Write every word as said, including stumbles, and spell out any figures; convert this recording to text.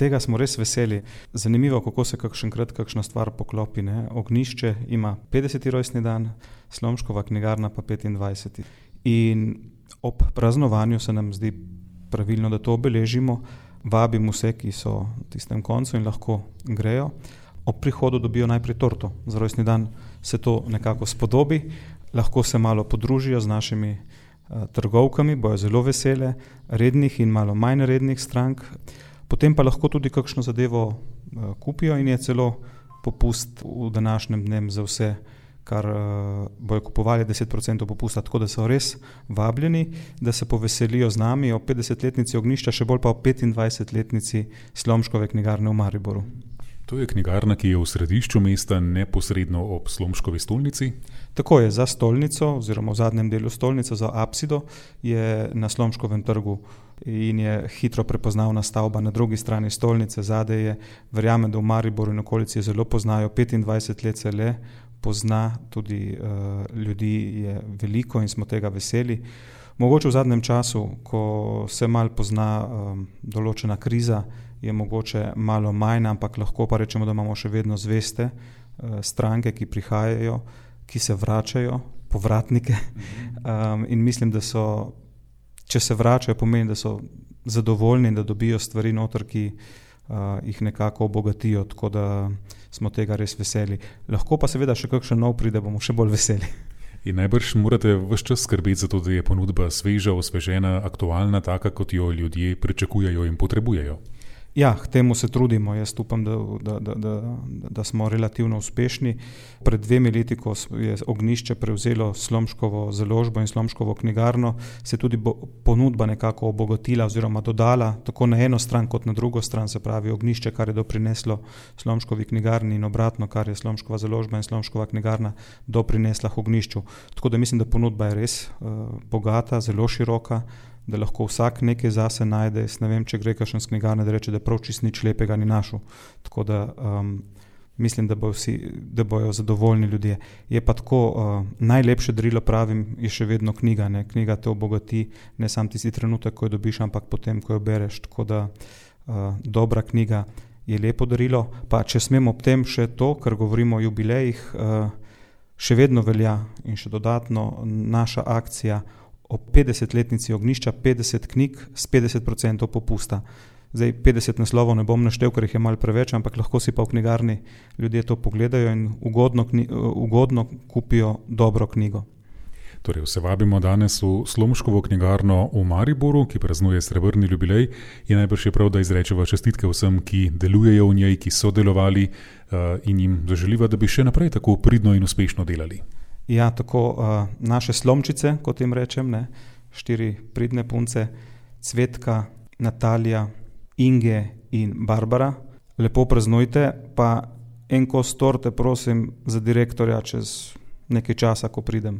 tega smo res veseli. Zanimivo, kako se kakšenkrat kakšna stvar poklopi. Ne? Ognjišče ima petdeseti rojstni dan, Slomškova knjigarna pa petindvajseti. In ob praznovanju se nam zdi pravilno, da to obeležimo. Vabim vse, ki so v tistem koncu in lahko grejo. Ob prihodu dobijo najprej torto. Za rojstni dan se to nekako spodobi. Lahko se malo podružijo z našimi uh, trgovkami, bojo zelo vesele, rednih in malo manj rednih strank. Potem pa lahko tudi kakšno zadevo uh, kupijo in je celo popust v današnjem dnem za vse, kar uh, bojo kupovali deset procentov popusta, tako da so res vabljeni, da se poveselijo z nami o petdesetletnici Ognjišča, še bolj pa o petindvajsetletnici Slomškove knjigarne v Mariboru. To je knjigarna, ki je v središču mesta, neposredno ob Slomškovi stolnici? Tako je, za stolnico oziroma v zadnjem delu stolnice, za apsido, je na Slomškovem trgu in je hitro prepoznavna stavba. Na drugi strani stolnice, zadaj je, verjamem, da v Mariboru in okolici je zelo poznajo, petindvajset let se le pozna, tudi uh, ljudi je veliko in smo tega veseli. Mogoče v zadnjem času, ko se malo pozna um, določena kriza, je mogoče malo manj, ampak lahko pa rečemo, da imamo še vedno zveste uh, stranke, ki prihajajo, ki se vračajo, povratnike. Um, in mislim, da so, če se vračajo, pomeni, da so zadovoljni in da dobijo stvari noter, ki uh, jih nekako obogatijo, tako da smo tega res veseli. Lahko pa seveda še kakšen nov pride, bomo še bolj veseli. In najbrž morate ves čas skrbeti za to, da je ponudba sveža, osvežena, aktualna, taka, kot jo ljudje pričakujejo in potrebujejo. Ja, k temu se trudimo. Jaz upam, da, da, da, da, da smo relativno uspešni. Pred dvemi leti, ko je Ognjišče prevzelo Slomškovo založbo in Slomškovo knjigarno, se tudi bo, ponudba nekako obogatila oziroma dodala tako na eno stran kot na drugo stran, se pravi Ognjišče, kar je doprineslo Slomškovi knjigarni in obratno, kar je Slomškova založba in Slomškova knjigarna doprinesla Ognjišču. Tako da mislim, da ponudba je res uh, bogata, zelo široka, da lahko vsak nekaj zase najde. Jaz ne vem, če gre kakšen s knjigarne, da reče, da prav čist nič lepega ni našel. Tako da um, mislim, da bojo vsi, da bojo zadovoljni ljudje. Je pa tako, uh, najlepše darilo, pravim, je še vedno knjiga. Ne? Knjiga te obogati, ne sam tisti trenutek, ko jo dobiš, ampak potem, ko jo bereš. Tako da uh, dobra knjiga je lepo darilo. Pa če smem ob tem še to, ker govorimo o jubilejih, uh, še vedno velja in še dodatno naša akcija o petdesetletnici Ognjišča, petdeset knjig s petdeset procentov popusta. Zdaj petdeset naslovov ne bom naštel, ker jih je malo preveč, ampak lahko si pa v knjigarni ljudje to pogledajo in ugodno, kni, ugodno kupijo dobro knjigo. Torej, vse vabimo danes v Slomškovo knjigarno v Mariboru, ki praznuje srebrni jubilej, in najbrž je prav, da izrečeva čestitke vsem, ki delujejo v njej, ki so delovali uh, in jim zaželiva, da bi še naprej tako pridno in uspešno delali. Ja, tako uh, naše slomčice, kot jim rečem, ne, štiri pridne punce, Cvetka, Natalija, Inge in Barbara. Lepo praznujte, pa en kos torte prosim za direktorja čez nekaj časa, ko pridem.